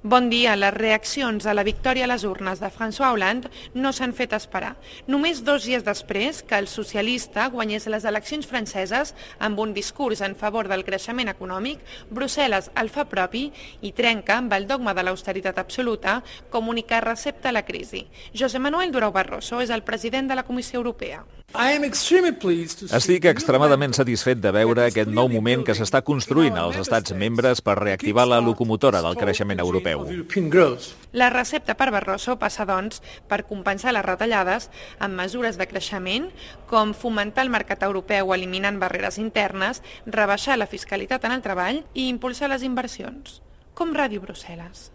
Bon dia. Les reaccions a la victòria a les urnes de François Hollande no s'han fet esperar. Només 2 dies després que el socialista guanyés les eleccions franceses amb un discurs en favor del creixement econòmic, Brussel·les el fa propi i trenca amb el dogma de l'austeritat absoluta com única recepta a la crisi. José Manuel Durão Barroso és el president de la Comissió Europea. Estic extremadament satisfet de veure aquest nou moment que s'està construint als estats membres per reactivar la locomotora del creixement europeu. La recepta per Barroso passa, doncs, per compensar les retallades amb mesures de creixement, com fomentar el mercat europeu eliminant barreres internes, rebaixar la fiscalitat en el treball i impulsar les inversions. Com Ràdio Brussel·les.